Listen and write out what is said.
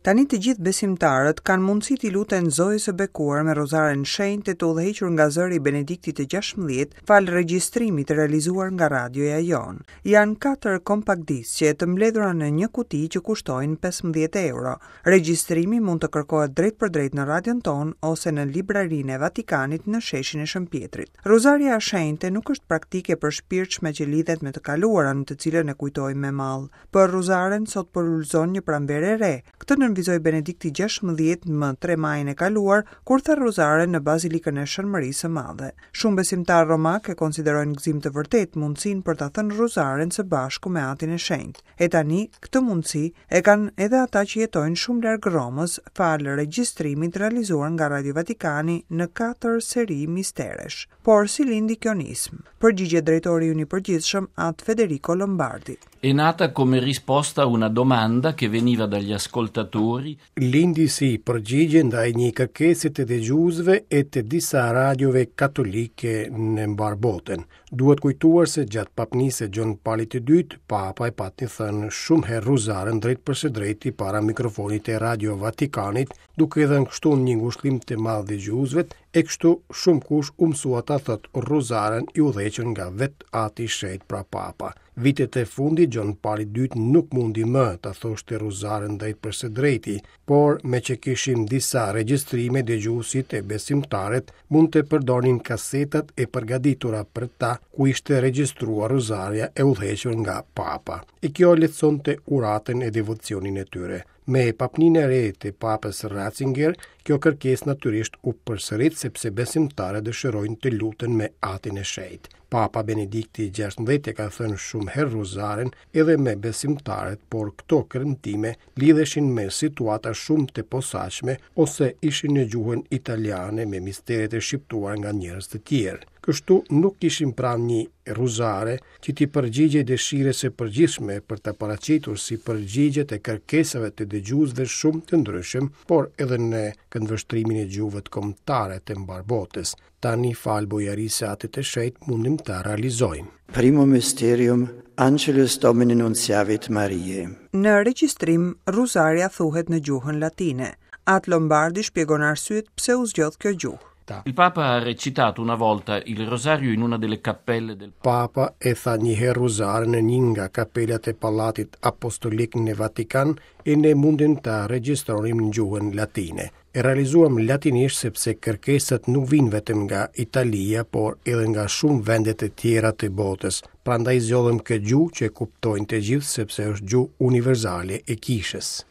Tani të gjithë besimtarët kanë mundësi t'i luten Zojës së Bekuar me Rozaren Shenjtë të udhëhequr nga zëri i Benediktit të 16, falë regjistrimit të realizuar nga radioja jonë. Janë katër kompakt disqe të mbledhura në një kuti që kushtojnë 15 euro. Regjistrimi mund të kërkohet drejtpërdrejt në radion tonë ose në librarinë e Vatikanit në sheshin e Shën Pjetrit. Rozarja e Shenjtë nuk është praktikë e përshpirtshme që lidhet me të kaluarën, të cilën e kujtojmë me mall. Për Rozaren sot po lulëzon një pranverë e re. Këtë nënvizoi Benedikti XVI më 3 majin e kaluar, kur tha Rozaren në Bazilikën e Shën Mërisë së Madhe. Shumë besimtarë romakë e konsiderojnë gëzim të vërtetë mundësinë për ta thënë Rozaren së bashku me Atin e Shenjtë. E tani, këtë mundësi e kanë edhe ata që jetojnë shumë larg Romës, falë regjistrimit realizuar nga Radio Vatikani në katër seri misteresh. Por si lindi kjo nismë? Përgjigjet drejtori ynë i përgjithshëm, At Federico Lombardi. È nata come risposta a una domanda che veniva dagli ascoltatori. Lindi si përgjigje ndaj një kërkese të dëgjuesve e të disa radiove katolike në mbarë botën. Duhet kujtuar se gjatë papnisë së Gjon Palit të Dytë, Papa e pati thënë shumë herë rruzaren drejtpërsëdrejti para mikrofonit të Radio Vatikanit, duke i dhënë kështu një ngushëllim të madh dëgjuesve, e kështu shumëkush u mësua ta thotë rruzaren i udhëhequr nga vetë Ati i Shenjtë pra Papa. Vitet e fundit Gjon Pali i Dytë nuk mundi më ta thoshte rruzaren drejtpërsëdrejti, por meqë kishim disa regjistrime dëgjuesit e besimtarët mund të përdornin kasetat e përgatitura për ta ku ishte regjistruar rruzarja e udhëhequr nga Papa. E kjo lehtësonte uratën e devocionin e tyre. Me papninë e re të Papës Ratzinger, kjo kërkesë natyrisht u përsërit sepse besimtarët dëshirojnë të luten me Atin e Shenjtë. Papa Benedikti XVI e ka thënë shumë herë rruzaren edhe me besimtarët, por këto kremtime lidheshin me situata shumë të posaçme ose ishin në gjuhën italiane me misteret e shqiptuara nga njerëz të tjerë. Kështu nuk kishim pra një rruzare që t'i përgjigjej dëshirës së përgjithshme për ta paraqitur si përgjigje të kërkesave të dëgjuesve shumë të ndryshëm, por edhe në këndvështrimin e gjuhëve kombëtare të mbarë botës. Tani falë bujarisë së Atit të Shenjtë mundim ta realizojmë. Primum mysterium Angelus Domini nunciavit Mariae. Në regjistrim, Rruzarja thuhet në gjuhën latine. At Lombardi shpjegon arsyet pse u zgjodh kjo gjuhë. Il Papa ha recitato una volta il rosario in una delle cappelle del Papa e tha një herë rruzaren në një nga kapelat e Pallatit Apostolik në Vatikan e ne mundëm ta regjistronim në gjuhën latine. E realizuam latinisht sepse kërkesat nuk vijnë vetëm nga Italia, por edhe nga shumë vende të tjera të botës. Prandaj zgjodhëm këtë gjuhë që e kuptojnë të gjithë sepse është gjuhë universale e kishës.